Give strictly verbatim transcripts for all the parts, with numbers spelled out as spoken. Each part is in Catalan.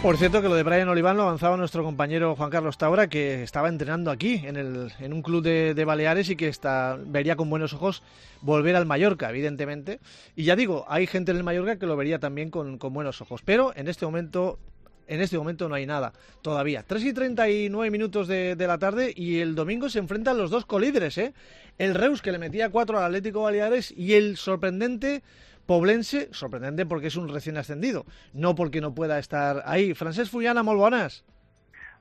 Por cierto, que lo de Brian Oliván lo avanzaba nuestro compañero Juan Carlos Taura, que estaba entrenando aquí, en, el, en un club de, de Baleares, y que está, vería con buenos ojos volver al Mallorca, evidentemente. Y ya digo, hay gente en el Mallorca que lo vería también con, con buenos ojos. Pero en este momento... En este momento no hay nada, todavía. tres y treinta y nueve minutos de, de la tarde, y el domingo se enfrentan los dos colíderes, ¿eh? El Reus, que le metía cuatro al Atlético Baleares, y el sorprendente Poblense, sorprendente porque es un recién ascendido, no porque no pueda estar ahí. Francesc Fullana, molt bones.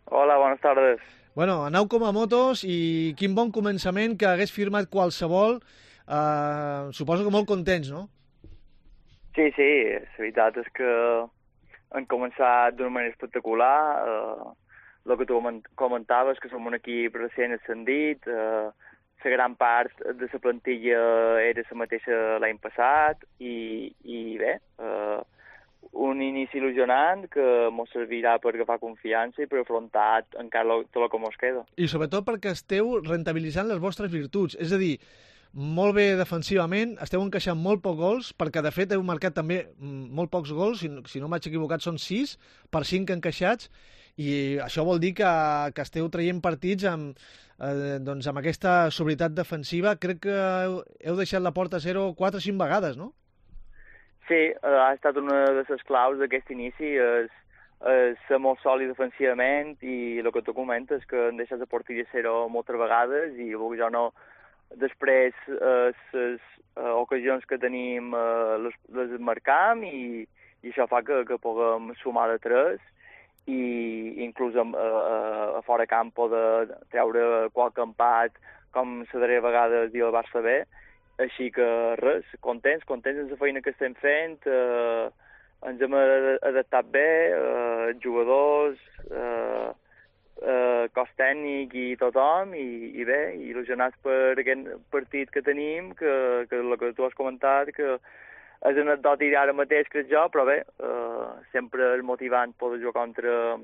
Hola, buenas tardes. Bueno, anau com a motos, i quin bon començament, que hagués firmat qualsevol. Uh, suposo que molt contents, no? Sí, sí, la veritat és que han començat d'una manera espectacular. Eh, el que tu comentaves, que som un equip recent ascendit, eh, la gran part de la plantilla era la mateixa l'any passat, i, i bé, eh, un inici il·lusionant que ens servirà per agafar confiança i per afrontar encara tot el que ens queda. I sobretot perquè esteu rentabilitzant les vostres virtuts, és a dir, molt bé defensivament, esteu encaixant molt pocs gols, perquè de fet heu marcat també molt pocs gols, si no, si no m'haig equivocat són sis per cinc encaixats, i això vol dir que, que esteu traient partits amb, eh, doncs amb aquesta sobrietat defensiva. Crec que heu, heu deixat la porta a zero quatre o cinc vegades, no? Sí, eh, ha estat una de les claus d'aquest inici, és, és ser molt sòlid defensivament, i el que tu comentes, que han deixat la porteria a zero moltes vegades, i jo no... Després, eh, les eh, ocasions que tenim eh, les, les marcam, i, i això fa que, que puguem sumar de tres, i inclús a, a, a fora camp poder treure qualque empat, com la darrera vegada el dia del Barça B. Així que res, contents, contents amb la feina que estem fent, eh, ens hem adaptat bé, eh, jugadors, eh, Uh, cos tècnic i tothom, i, i bé, il·lusionats per aquest partit que tenim, que, que el que tu has comentat, que és anecdòtic ara mateix, crec jo, però bé, uh, sempre és motivant poder jugar contra,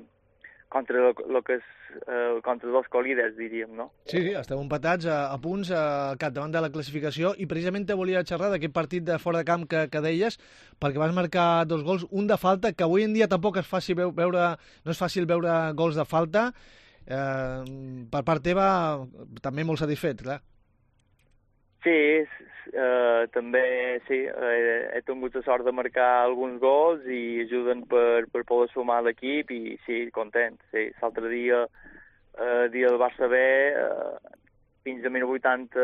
contra el que és uh, contra dos colíders, diríem, no? Sí, sí, esteu empatats a, a punts al capdavant de la classificació, i precisament te volia xerrar d'aquest partit de fora de camp que, que deies, perquè vas marcar dos gols, un de falta, que avui en dia tampoc és fàcil veure, no és fàcil veure gols de falta. Eh, per part teva també molt satisfet, clar. Sí, eh, també sí, he, he tingut la sort de marcar alguns gols i ajuden per, per poder sumar l'equip, i sí, content. Sí. L'altre dia, eh, dia del Barça B, eh, fins a minut vuitanta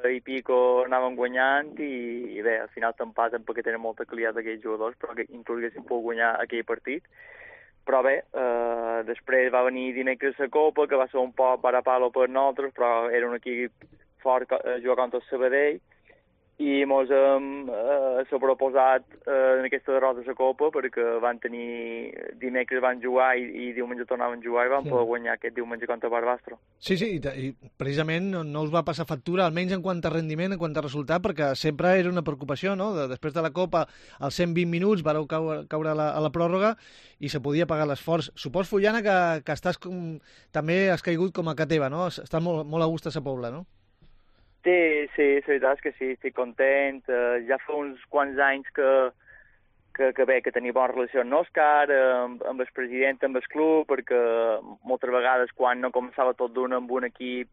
i pico anàvem guanyant, i, i bé, al final t'empaten perquè tenen molta qualitat aquells jugadors, però que inclús haguessin pogut guanyar aquell partit. Però bé, eh, després va venir dimecres la Copa, que va ser un poc para palo per nosaltres, però era un equip fort a jugar contra el Sabadell, i ens hem eh, sobreposat eh, en aquesta derrota de la Copa, perquè van tenir... dimecres van jugar i, i diumenge tornaven a jugar, i van sí. poder guanyar aquest diumenge contra Barbastro. Sí, sí, i, i precisament no, no us va passar factura, almenys en quant a rendiment, en quant a resultat, perquè sempre era una preocupació, no? De, després de la Copa, als cent vint minuts, vareu caure, caure a, la, a la pròrroga, i se podia pagar l'esforç. Supos, Fullana, que, que estàs com, també has caigut com a ca teva, no? Estàs molt, molt a gust a sa Pobla, no? Sí, sí, la veritat és que sí, estic content. Uh, ja fa uns quants anys que, que, que bé, que tenia bona relació amb Òscar, amb, amb el president, amb el club, perquè moltes vegades quan no començava tot d'un amb un equip,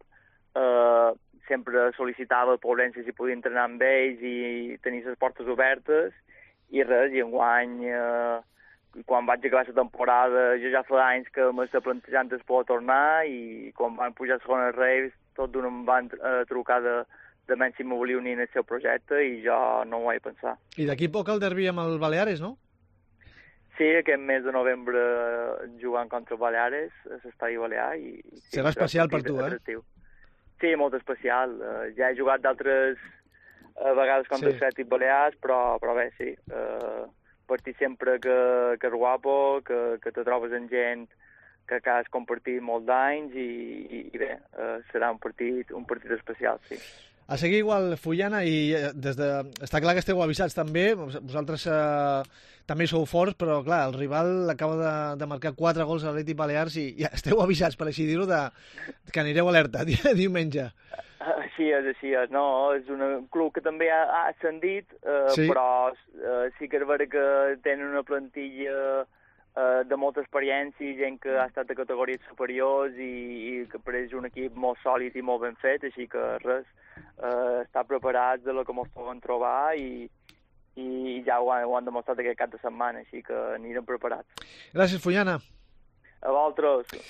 uh, sempre sol·licitava el Poblense si podia entrenar amb ells i tenir les portes obertes, i res, i enguany, uh, quan vaig acabar la temporada, jo ja fa anys que m'estava plantejant es poder tornar, i quan van pujar a segona Reis, tot d'un em van eh, trucar de, de menys si m'ho volia unir en el seu projecte, i jo no ho vaig pensar. I d'aquí poc el derbi amb el Baleares, no? Sí, aquest mes de novembre jugant contra el Baleares, a l'Estadi Balear. I, serà especial per tu, atractiu. eh? Sí, molt especial. Uh, ja he jugat d'altres uh, vegades contra sí. els Atlètic Balears, però, però bé, sí. Uh, partir sempre que, que és guapo, que, que te trobes amb gent que has compartit molts d'anys, i, i, i bé, eh, serà un partit, un partit especial, sí. A seguir igual, Fullana, i des de... està clar que esteu avisats també, vosaltres eh, també sou forts, però clar, el rival acaba de, de marcar quatre gols a l'Atlètic Balears, i ja esteu avisats, per així dir-ho, de, que anireu alerta diumenge. Així és, així és, no, és un club que també ha, ha ascendit, eh, sí. però eh, sí que és vera que tenen una plantilla eh, de molta experiència, gent que ha estat a categories superiors i, i que per és un equip molt sòlid i molt ben fet, així que res, eh, estar preparats de lo que ens poden trobar i, i ja ho han, ho han demostrat aquest cap de setmana, així que anirem preparats. Gràcies, Fullana. A vosaltres.